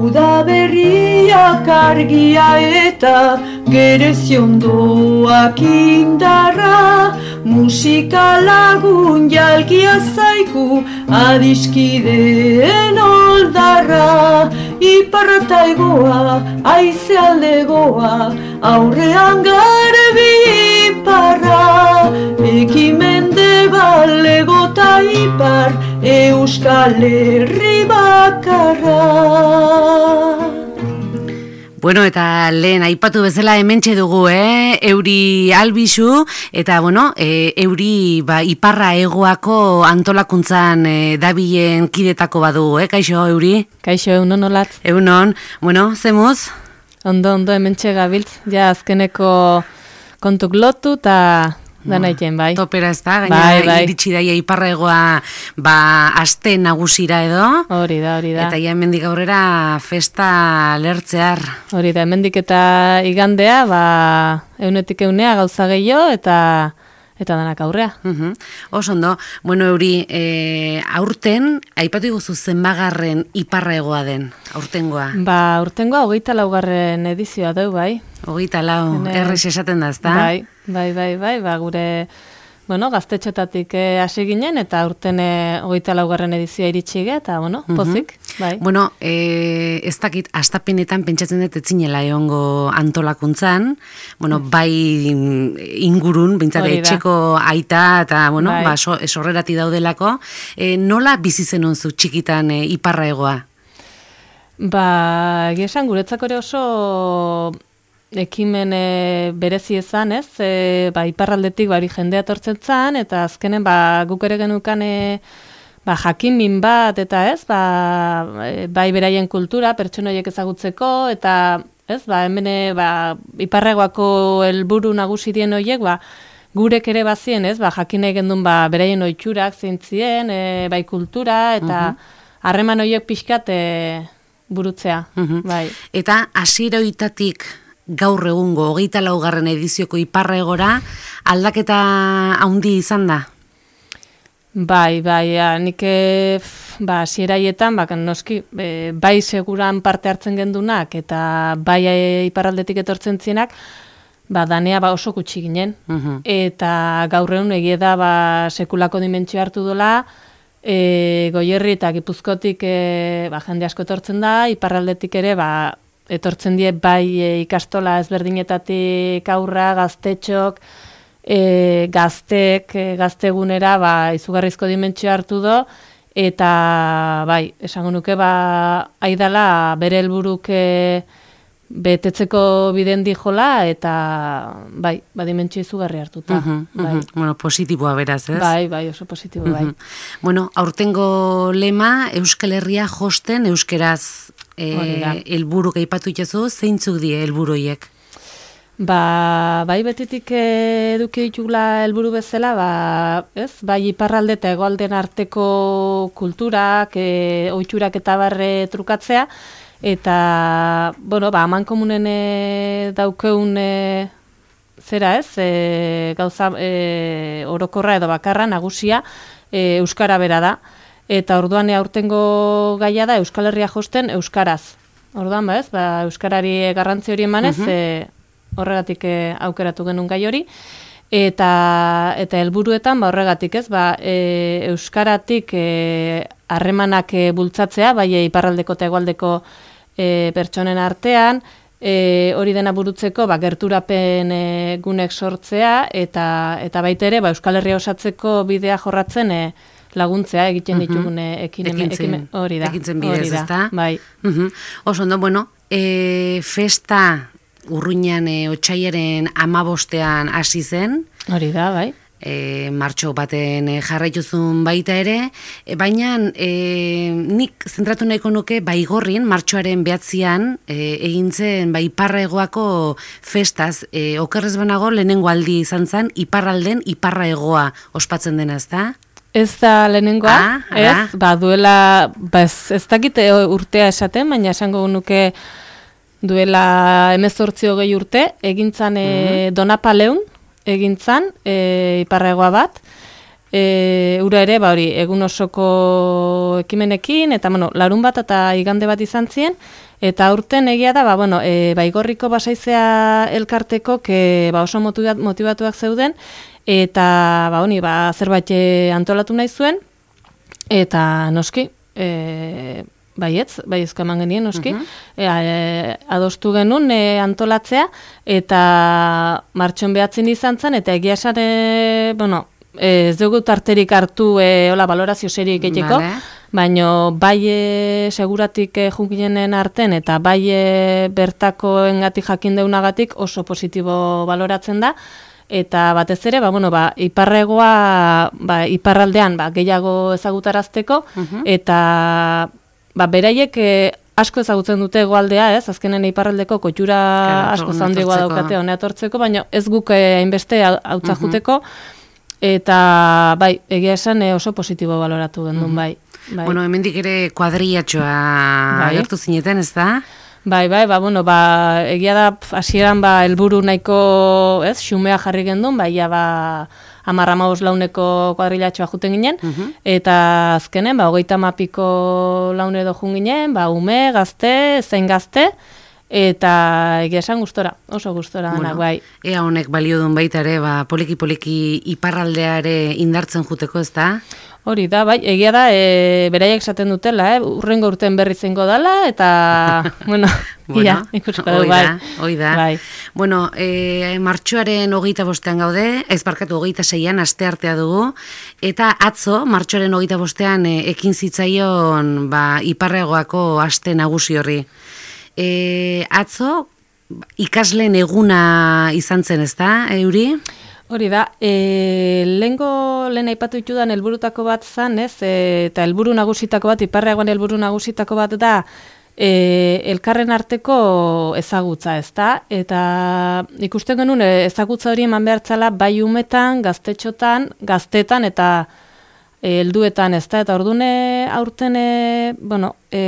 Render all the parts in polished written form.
Udaberriak argia eta gereziondoak indarra, musika lagun jalgia zaiku adiskideen oldarra, iparra egoa, aize aldegoa, aurrean garbi iparra, ekimendebal egota ipar, Euskal Herri bakarra. Bueno, eta lehen aipatu bezala hementxe dugu, Euri Albizu, eta Euri iparra egoako antolakuntzan dabilen kidetako badu, kaixo Euri? Kaixo, eunon olat. Eunon, zemuz? Ondo, hementxe gabiltz, ja azkeneko kontuk lotu eta dana iten, bai. Topera ez da, gaina iritsi daia iparra egoa aste nagusira edo. Hori da. Eta ja hemendik aurrera festa lertzear. Hori da, hemendik eta igandea, eunetik eunea gauza gehiago eta danak aurrea. Oso ondo, Euri, aurten, aipatu iguzu zenbagarren iparra egoa den, aurtengoa? Aurtengoa 24. edizioa deu, bai. 24, errez esaten da, ezta? Bai, gure, gaztetxotatik hasi ginen, eta aurten 24. edizioa iritsi eta, pozik, bai. Ez dakit, astapenetan pentsatzen dut etzinela egongo antolakuntzan, bai ingurun, bintzate etxeko aita, eta, esorrerati daudelako, nola bizi zenuen zu txikitan iparra egoa? Esan guretzako ere oso ekimen berezi ezan, ez? Iparraldetik jendea tortzen zan, eta azkenen guk ere genukan jakinmin bat, eta ez? Bai beraien kultura, pertsonoiek ezagutzeko, eta ez? Hemen iparregoako helburu nagusi dien horiek, gurek ere bazien, ez? Jakin nahi gendun beraien ohiturak zeintzien, bai kultura, eta harreman horiek pixkat burutzea. Eta hasieratik gaur egungo 24. edizioko iparra egora aldaketa handi izan da? Bai, nik hasieraietan, noski, bai seguran parte hartzen gendunak eta bai iparraldetik etortzen zienak, danea oso gutxi ginen. Eta gaur egun egia da sekulako dimentsio hartu dola, Goierri eta Gipuzkotik jende asko etortzen da, iparraldetik ere etortzen die bai ikastola ezberdinetatik aurra, gaztetxok, gaztegunera izugarrizko dimentsio hartu do, eta esango nuke aidala bere helburuk betetzeko biden dijola, eta dimentsio izugarri hartuta. Positiboa beraz, ez? Bai, oso positibo, bai. Aurtengo lema, Euskal Herria josten euskeraz helburu aipatu itzazu, zeintzuk die helburuiek? Bai betitik eduki ditugula helburu bezala, bai iparralde eta hegoalden arteko kulturak, ohiturak eta barre trukatzea, eta, amankomunen daukeun zera ez, gauza orokorra edo bakarra nagusia euskara bera da. Eta orduan aurtengo gaia da Euskal Herria josten euskaraz. Orduan, euskarari garrantzi hori emanez, horregatik aukeratu genuen gai hori. Eta helburuetan, horregatik ez, euskaratik harremanak bultzatzea, bai iparraldeko eta hegoaldeko pertsonen artean, hori dena burutzeko gerturapen gunek sortzea, eta baita ere Euskal Herria osatzeko bidea jorratzen laguntzea egiten ditugun ekimen hori da. Ekintzen bidez, ezta? Bai. Oso ondo, festa urruinan otsailaren 15ean hasi zen. Hori da, bai. Martxo baten jarraituzun baita ere, baina nik zentratu nahiko nuke Baigorrin, martxoaren 9ean egin zen iparra egoako festaz, okerrez banago lehenengo aldi izan zen iparralden iparra egoa ospatzen dena, ezta? Ez da lehenengoa, ez? Duela, ez dakit urtea esaten, baina esango nuke duela 18-20 urte, egintzan Donapaleun, egintzan, iparregoa bat, ura ere, egun osoko ekimenekin, eta larun bat eta igande bat izan ziren, Eta aurten egia da, Baigorriko Basaizea elkarteko oso motivatuak zeuden, eta zerbait antolatu nahi zuen, eta noski, baiezko eman genien, noski, adostu genuen antolatzea, eta martxon behatzen izan zen, eta egia esan, ez dugu tarterik hartu valorazio serik egiteko, baina seguratik junginen arten, eta bertakoengatik jakin deunagatik oso positibo baloratzen da, eta batez ere, iparregoa, iparraldean gehiago ezagutarazteko, eta beraiek asko ezagutzen dute hegoaldea, azkenen iparraldeko koitura asko zaundigoa daukate honea tortzeko, baina ez guk hainbeste hautza juteko, eta egia esan oso positibo baloratu gendun, bai. Bueno, hemendik ere kuadrillatxoa agertu zineten, ez da? Egia da, hasieran helburu nahiko, xumea jarri gendun, 10-15 launeko kuadrilatxoa juten ginen, eta azkenen, 30 laun edo jun ginen, ume, gazte, zein gazte, eta egia esan gustora, oso gustora danak, bai. Ea honek balio duen baita ere, poliki-poliki iparraldeare indartzen juteko, ez da? Hori da, bai, egia da, beraiek esaten dutela, urrengo urten berri zengo dela, eta, ikusko dugu, bai. Hoi da. Bai. Bueno, martxoaren 25 gaude, ez barkatu 26an, asteartea dugu, eta atzo, martxoaren 25an, ekin zitzaion, iparregoako aste nagusi horri. Atzo, ikasleen eguna izan zen, ez da, Euri? Hori da, lehen aipatu ditudan helburutako bat zan, eta helburu nagusitako bat, iparregoan helburu nagusitako bat da, elkarren arteko ezagutza, ez da? Eta ikusten genuen ezagutza hori eman behartzala bai umetan, gaztetxotan, gaztetan eta helduetan, ez da? Eta ordune aurten,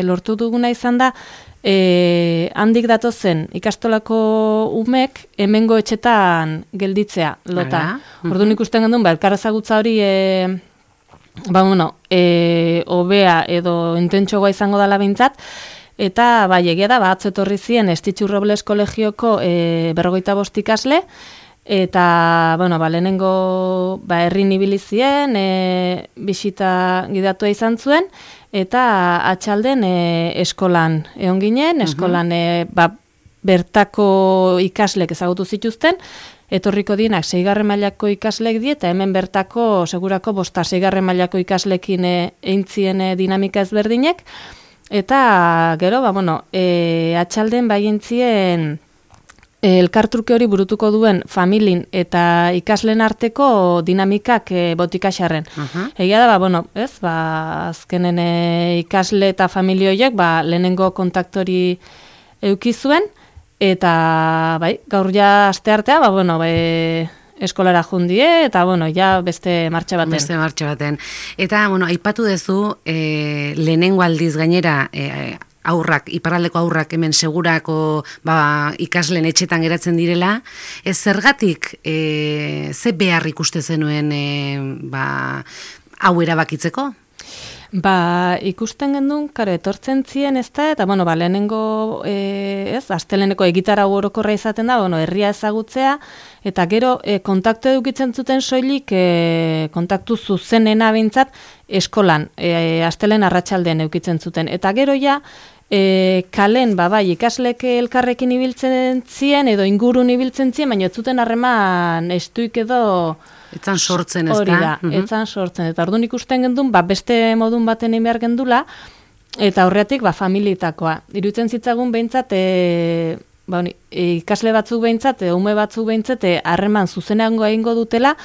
lortu duguna izan da, handik datozen ikastolako umek hemengo etxetan gelditzea lota. Orduan ikusten gendun, elkar ezagutza hori hobea edo intentsoa izango dela behintzat, eta egia da, atzo etorri ziren Estitxu Robles kolegioko 55 ikasle, eta, lehenengo herrin ibili ziren, bisita gidatua izan zuen, eta atxalden eskolan egon ginen, eskolan bertako ikaslek ezagutu zituzten, etorriko dienak 6. mailako ikaslek die, eta hemen bertako segurako 5. mailako ikaslekin eintzien dinamika ezberdinek, eta gero, atxalden baientzien elkartruke hori burutuko duen familin eta ikaslen arteko dinamikak botikaxarren. Egia da, azkenen ikasle eta familia horiek lehenengo kontaktori eukizuen, eta gaur ja asteartea, eskolara jundie, eta beste martxa baten. Eta, aipatu dezu, lehenengo aldiz gainera, iparraldeko aurrak hemen segurako ikasleen etxetan geratzen direla, ez zergatik ze behar ikuste zenuen hau erabakitzeko? Ikusten gendun, etortzen ziren ez da, eta lehenengo, asteleneko egitarau orokorra izaten da, herria ezagutzea, eta gero kontaktu edukitzen zuten soilik, kontaktu zuzenena bintzat, eskolan, astelen arratsaldean edukitzen zuten. Eta gero ja, kalen, ikaslek elkarrekin ibiltzen ziren, edo ingurun ibiltzen ziren, baina ez zuten harreman estuik edo... Etzan sortzen, ez da? Hori da, etzan sortzen. Eta orduan ikusten gendun, beste modun baten egin behar gendula, eta horretik, familitakoa. Iruditzen zitzagun behintzat, ikasle batzuk behintzat, ume batzuk behintzat, harreman zuzeneango egingo dutela,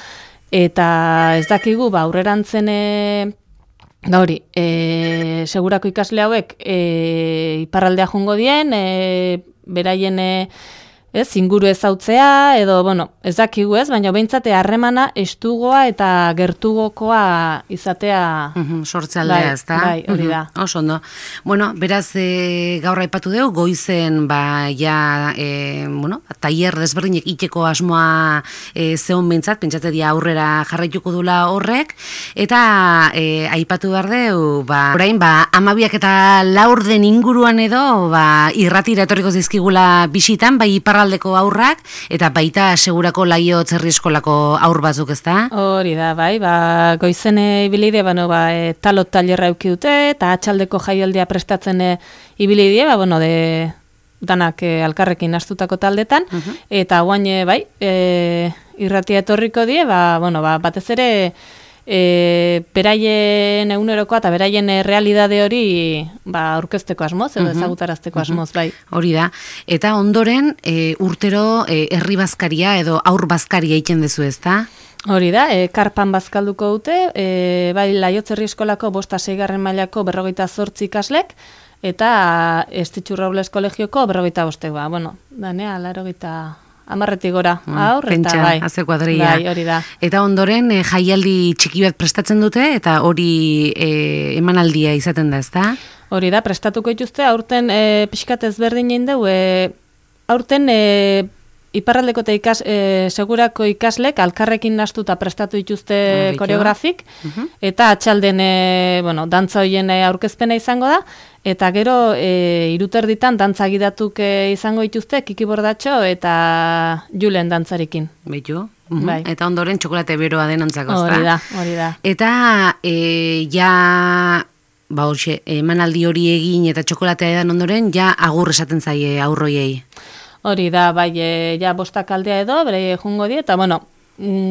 eta ez dakigu, aurrerantzen, segurako ikasle hauek iparraldea jungo dien, beraien ez, inguru ezautzea, edo, bueno, ez dakigu ez, baina behintzate harremana estugoa eta gertugokoa izatea... Sortzaldea, ez da? Bai, hori da. Oso ondo. Bueno, beraz, gaur aipatu dugu, goizen, ja, tailer desberdinek iteko asmoa zehon behintzat, pentsate dia aurrera jarraituko dula horrek, eta aipatu behar dugu, orain, 12 eta 4 den inguruan edo, irratira etorriko zizkigula bisitan, bai iparraldeko aurrak, eta baita segurako Laio Txerri eskolako aur batzuk, ez da? Hori da, bai, goizen ibilide, talot tailerra euki dute, eta atxaldeko jaialdia prestatzen ibilide, danak alkarrekin astutako taldetan, eta guain, bai, irratia etorriko die, batez ere, beraien egunerokoa eta beraien realidade hori aurkezteko asmoz edo ezagutarazteko asmoz, bai. Hori da. Eta ondoren urtero herri bazkaria edo aur bazkaria egiten dezu, ezta? Hori da, karpan bazkalduko dute, bai Laio Txerri eskolako 5. mailako 48 ikaslek, eta Estitxu Robles kolegioko 45, danea 80 gora, aur, eta bai. Haze kuadrilla. Bai, hori da. Eta ondoren jaialdi txiki bat prestatzen dute, eta hori emanaldia izaten da, ezta? Hori da, prestatuko dituzte, aurten pixkat ezberdin egin dugu, aurten iparraldeko eta segurako ikaslek alkarrekin nastuta prestatu dituzte koreografik, eta atxalden, dantza hoien aurkezpena izango da, eta gero 3:30 dantza gidatuk izango dituzte, Kiki Bordatxo eta Julen dantzarekin. Beitu? Bai. Eta ondoren txokolate beroa denantzako, ezta? Hori da. Eta emanaldi hori egin eta txokolatea edan ondoren, agur esaten zaie aurroiei. Hori da, bai, 5 aldea edo, bere jungo die, eta,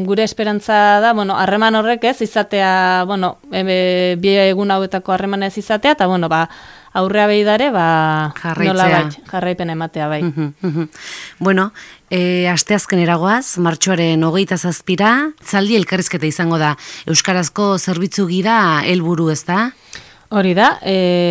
gure esperantza da, harreman horrek ez izatea, bi egun hauetako harreman ez izatea, eta, aurrea behidare, jarraipen ematea, bai. Bueno, asteazken eragoaz, martxoaren 27, itzaldi elkarrizketa izango da. Euskarazko zerbitzu gira helburu, ez da? Hori da,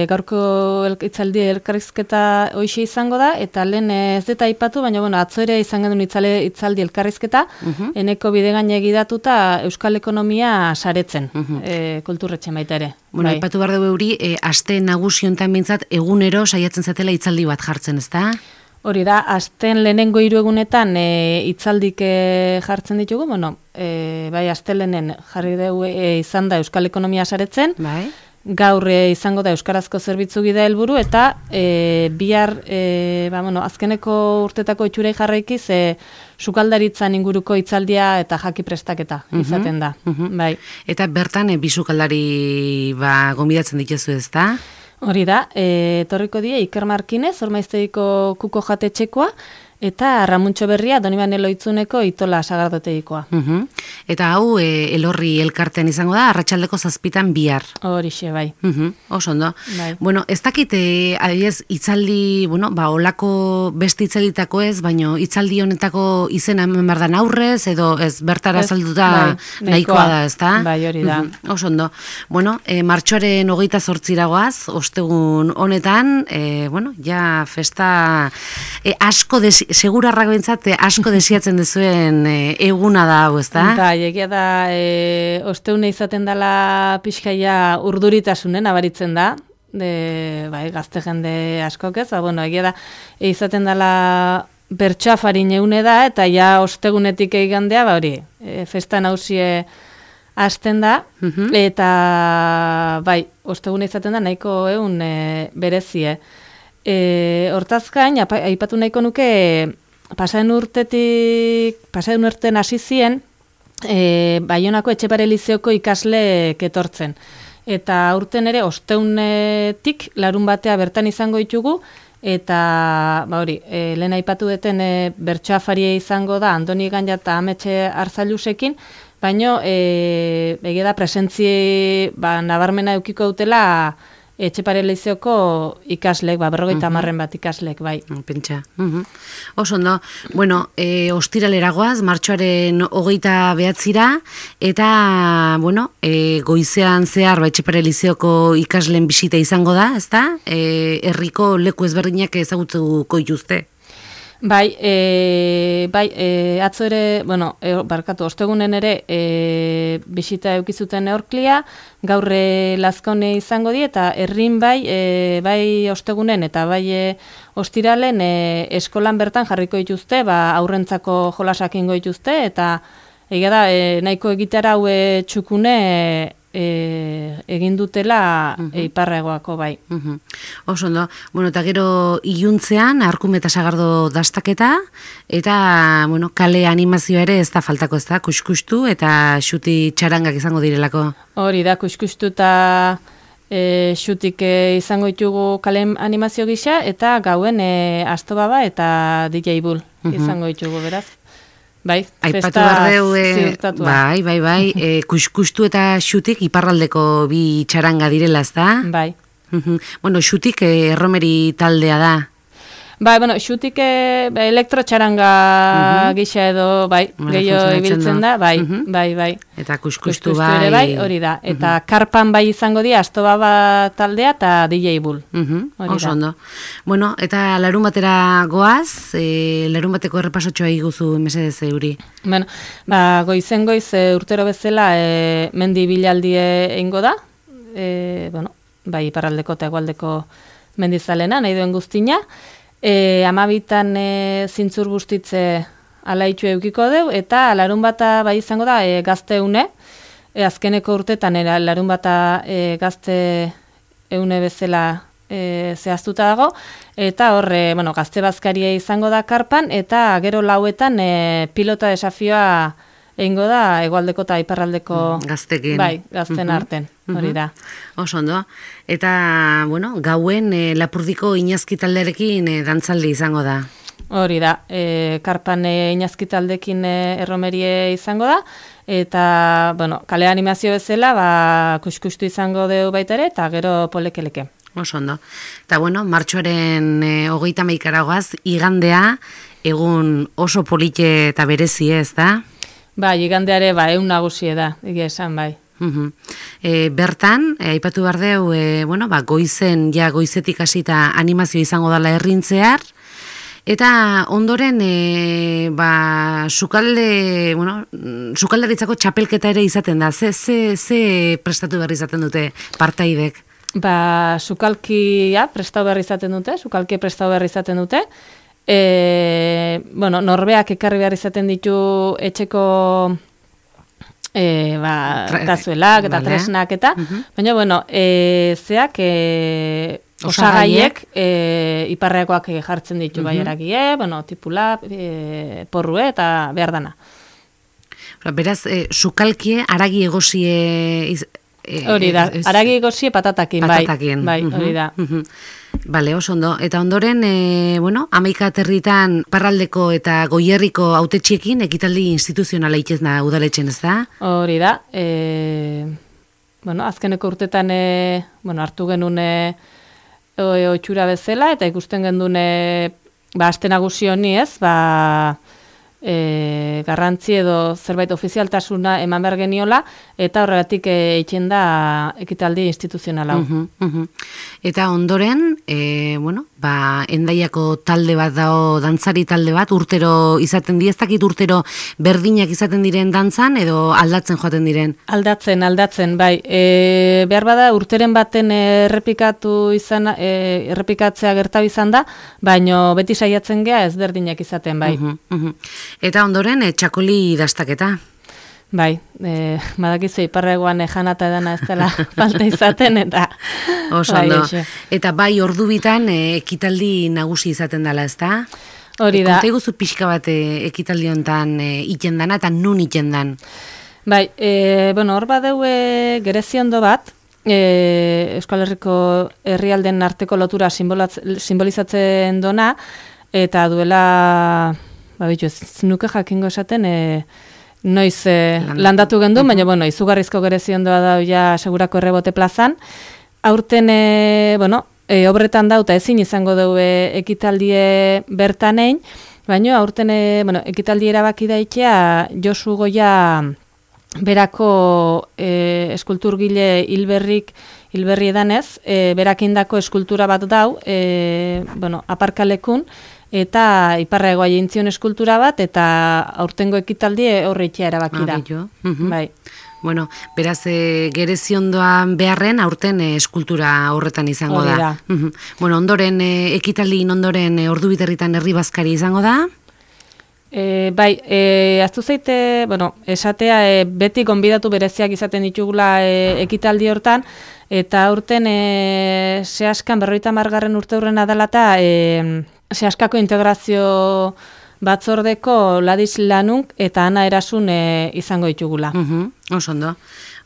gaurko itzaldi elkarrizketa hoxe izango da, eta lehen ez deta aipatu, baina atzo ere izango duen itzaldi elkarrizketa, eneko bidegain egidatuta Euskal Ekonomia saretzen, kulturretxe baita ere. Aipatu behar dugu euri, aste nagusi honetan bintzat, egunero saiatzen zatela itzaldi bat jartzen, ez da? Hori da, asten lehenengo 3 egunetan itzaldik jartzen ditugu, bai, aste lehenen jarri dugu izan da Euskal Ekonomia saretzen, bai. Gaur izango da Euskarazko zerbitzu gida helburu eta bihar azkeneko urtetako itxurei jarraikiz sukaldaritzan inguruko itzaldia eta jaki prestaketa izaten da. Bai. Eta bertan bi sukaldari gonbidatzen dituzu, ezta? Hori da, etorriko die Iker Markinez, Ormaiztegiko kuko jatetxekoa, eta Ramuntxo Berria, Donibane Loitzuneko Itola Sagardotegikoa. Eta hau Elorri elkartean izango da, arratsaldeko 7 bihar. Horixe, bai. Oso ondo. Bai. Ez dakit, adibidez, itzaldi, beste itzalditako ez, baino itzaldi honetako izena hemen behar da aurrez, edo ez bertara salduta nahikoa da, ez da? Bai, hori da. Oso ondo. Martxoaren 28 ostegun honetan, festa asko segurarrak bentsat asko desiatzen dezuen eguna da hau, ez da? Bai, egia da, osteune izaten dela pixkaia urduritasunen abaritzen da, gazte jende askok ez, egia da, izaten dela bertsoafarin egune da, eta ostegunetik egandea, festa nausie hasten da, eta ostegune izaten da nahiko egun berezie. Hortazkain, aipatu nahiko nuke, pasaden urten hasi zien, Baionako Etxepare Lizeoko ikasleek etortzen. Eta urten ere, osteunetik larun batea bertan izango ditugu, eta lehen aipatu deten bertsoafaria izango da, Andoni Ganja eta Ametxe Arzailusekin, baino, egia da presentzi nabarmena eukiko dutela Etxepare Lizeoko ikaslek, 50 bat ikaslek, bai. Pentsa. Oso ondo. Ostiraleragoaz, martxoaren 29 eta, goizean zehar, Etxepare Lizeoko ikasleen bisita izango da, ezta? Herriko leku ezberdinak ezagutzuko dituzte. Bai, atzo ere, ostegunen ere bisita eukizuten neorklia, gaur Lazkone izango di, eta herrin bai ostegunen eta bai ostiralen eskolan bertan jarriko dituzte, aurrentzako jolasak ingo dituzte, eta egia da, nahiko egitera hau txukune egin dutela iparregoako bai. Oso ondo. Bueno, eta gero iluntzean Arkume eta Sagardo dastaketa eta kale animazioa ere ez da faltako, ez da, kuskustu eta xuti txarangak izango direlako. Hori da, kuskustu eta xutik izango ditugu kale animazio gisa eta gauen Astobaba eta DJ Bull izango ditugu, beraz. Bai, aipatu bardeu, bai, kuskustu eta xutik iparraldeko bi txaranga direla, ez da? Bai. Bueno, xutik erromeri taldea da. Bai, xutik elektrotxaranga gisa edo, gehiago ibiltzen da, bai. Eta kuskustu bai. Hori da. Eta karpan bai izango dira Astobaba taldea eta DJ Bull. Oso ondo. Bueno, eta larun batera goaz, larun bateko errepasotxoa iguzu mesedez euri. Bueno, goizen urtero bezala mendi bilaldi eingo da. Bai, iparraldeko eta egualdeko mendizalena, nahi duen guztina. 12 zintzur bustitze alaitxu eukiko deu, eta larun bata bai izango da gazte-une, azkeneko urtetan larun bata gazte eune bezala zehaztuta dago, eta horre, gazte bazkaria izango da karpan, eta gero lauetan pilota desafioa egingo da hegoaldeko eta iparraldeko gaztekin. Bai, gazten arten, hori da. Oso ondo. Eta, gauen Lapurdiko inazki talderekin dantzaldi izango da. Hori da. Karpan inazki taldekin erromerie izango da. Eta, kale animazio bezala, kuskustu izango deu baita ere, eta gero polekeleke. Oso ondo. Eta, martxoaren 31 goaz, igandea, egun oso polite eta berezi ez da? Bai, igandeare, egun nagusie da, egia esan, bai. Bertan, aipatu bardeu, goizetik hasita animazio izango dela herrintzear, eta ondoren, sukaldaritzako txapelketa ere izaten da, ze prestatu berri izaten dute partaidek? Sukalkia prestatu berri izaten dute, norbeak ekarri behar izaten ditu etxeko tazuelak eta tresnak eta, baina, zeak osagaiek iparreakoak jartzen ditu baierakie, tipula, porrue eta behar dana. Beraz, sukalkie aragi egosie... Hori da, aragi egosie patatakin, bai, hori da. Bale, oso ondo. Eta ondoren, 11 aterritan parraldeko eta goierriko hautetxeekin ekitaldi instituzionala itxezna udaletxen, ez da? Hori da. Azkeneko urtetan hartu genuen oitxura bezala, eta ikusten genuen aste nagusi honi ez, garrantzi edo zerbait ofizialtasuna eman behar geniola, eta horregatik eitzen da ekitaldi instituzionala. Eta ondoren, Endaiako talde bat dao, dantzari talde bat, urtero izaten di, ez dakit urtero berdinak izaten diren dantzan, edo aldatzen joaten diren? Aldatzen, bai. Behar bada, urteren baten errepikatzea gertau izan da, baino beti saiatzen gea ez berdinak izaten, bai. Eta ondoren, txakoli dastaketa? Bai, badakizu iparregoan janata edana ez dela falta izaten, eta... Oso ondo. Eta bai ordu bitan ekitaldi nagusi izaten dela, ez da? Hori da. Konta iguzu pixka bat ekitaldi honetan iten dana, eta nun iten dan? Bai, hor badeu gereziondo bat, Euskal Herriko herrialden arteko lotura simbolizatzen dona, eta duela, ez nuke jakingo esaten, noiz landatu gendun, baina, izugarrizko gereziondoa da ja segurako errebote plazan. Aurten, obretan dauta ezin izango dugu ekitaldie bertanein, baina aurten, ekitaldi erabaki daitea Josu Goia berako eskulturgile hilberrik hilberri edanez, berakindako eskultura bat dau, aparkalekun, eta iparra egoa jintzion eskultura bat, eta aurtengo ekitaldi horreitea erabaki da. Bai. Bueno, beraz, gereziondoan beharren aurten eskultura horretan izango da. Bueno, ondoren, ekitaldiin ondoren Ordubiterritan herri bazkari izango da? Bai, aztu zeite, esatea beti gonbidatu bereziak izaten ditugula ekitaldi hortan, eta aurten Seaskan 50. urte hurrena dela eta Seaskako integrazio batzordeko Ladis Lanunk eta Ana Erasun izango ditugula. Oso ondo.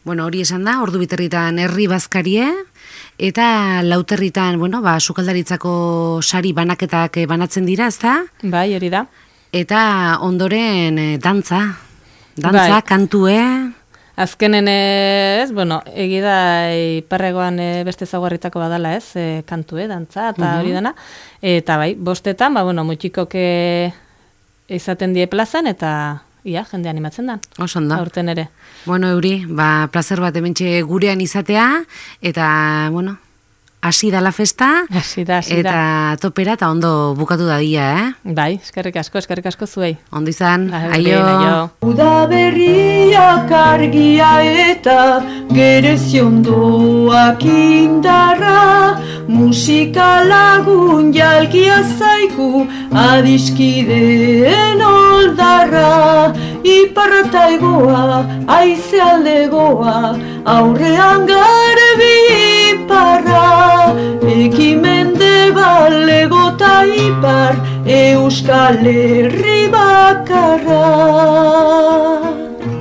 Bueno, hori esan da, Ordubiterritan herri bazkarie, eta Lauterritan, sukaldaritzako sari banaketak banatzen dira, ezta? Bai, hori da. Eta ondoren dantza, bai. Kantue. Azkenen egida iparregoan beste zaguarritako badala kantue, dantza, eta hori dana. Eta bai, bostetan, mutxikok izaten die plazan, eta jende animatzen da. Osondo. Aurten ere. Bueno, Euri, plazer bat hementxe gurean izatea, eta, hasi da la festa, eta topera, eta ondo bukatu dadia, Bai, eskerrik asko zuei. Ondo izan, aio. Udaberriak argia eta gereziondoak indarra, musika lagun jalkia zaiku adiskideen oldarra, iparra eta egoa, aize aldegoa, aurrean garbi iparra, ekimende balego ta ipar, Euskal Herri bakarra.